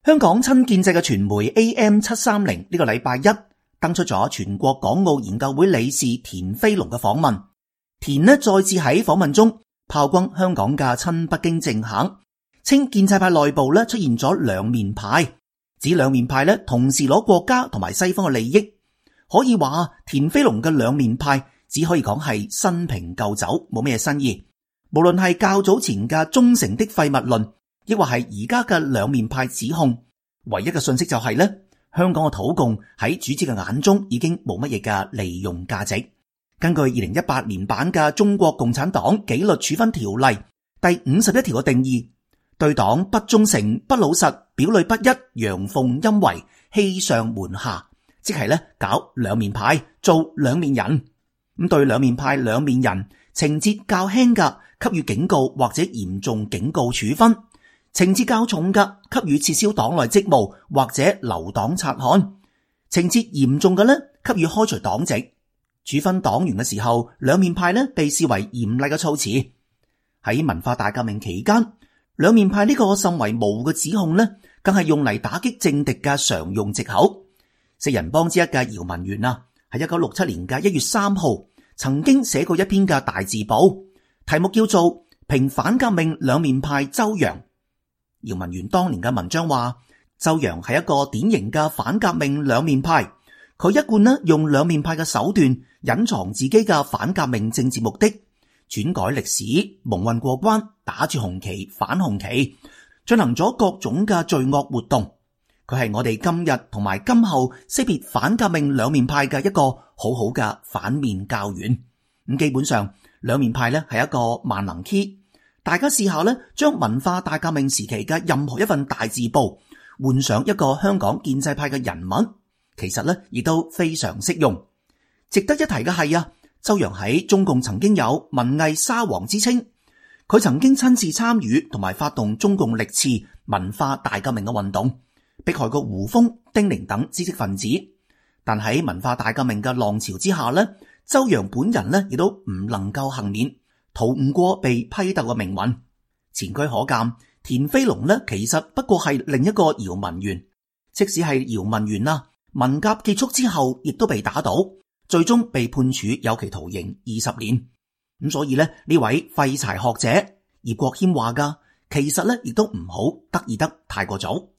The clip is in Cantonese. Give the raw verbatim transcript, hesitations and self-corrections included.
香港親建制嘅傳媒 A M 七三零呢個禮拜一登出咗全國港澳研究會理事田飛龍嘅訪問。田呢再次喺訪問中炮轟香港嘅親北京政客，稱建制派內部呢出現咗兩面派，指兩面派呢同時攞國家同埋西方嘅利益。可以話田飛龍嘅兩面派只可以講係新瓶舊酒，冇咩新意。無論係較早前嘅忠誠的廢物論，亦或係而家嘅兩面派指控，唯一嘅信息就係咧，香港嘅土共喺主子嘅眼中已經冇乜嘢嘅利用價值。根據二零一八年版嘅《中國共產黨紀律處分條例》第五十一條嘅定義，對黨不忠誠、不老實、表裏不一、陽奉陰違、欺上瞞下，即係咧搞兩面派，做兩面人。咁對兩面派、兩面人情節較輕嘅，給予警告或者嚴重警告處分；情節較重嘅，給予撤銷黨內職務或者留黨察看；情節嚴重嘅呢，給予開除黨籍。處分黨員嘅時候，兩面派呢被視為嚴厲嘅措辭。喺文化大革命期間，兩面派呢個甚為模糊嘅指控呢，更係用嚟打擊政敵嘅常用藉口。四人幫之一嘅姚文元啊，喺一九六七年嘅一月三號曾經寫過一篇嘅大字報，題目叫做《評反革命兩面派周揚》。姚文元當年嘅文章話，周揚係一個典型嘅反革命兩面派，佢一貫呢用兩面派嘅手段隱藏自己嘅反革命政治目的，篡改歷史、蒙混過關、打住紅旗反紅旗，進行咗各種嘅罪惡活動。佢係我哋今日同埋今後識別反革命兩面派嘅一個好好嘅反面教員。咁基本上兩面派呢係一個萬能 key， 大家試下呢將文化大革命時期嘅任何一份大字報換上一個香港建制派嘅人物，其實呢亦都非常適用。值得一提嘅係啊，周揚喺中共曾經有文藝沙皇之稱，佢曾經親自參與同埋發動中共歷次文化大革命嘅運動，迫害過胡風、丁玲等知識分子。但喺文化大革命嘅浪潮之下呢，周揚本人呢亦都唔能夠幸免，逃唔過被批鬥嘅命運。前車可鑑，田飛龍呢其實不過係另一個姚文元。即使係姚文元啦，文革結束之後亦都被打倒，最終被判處有期徒刑二十年。咁所以呢，呢位廢柴學者葉國謙話噶，其實呢亦都唔好得意得太過早。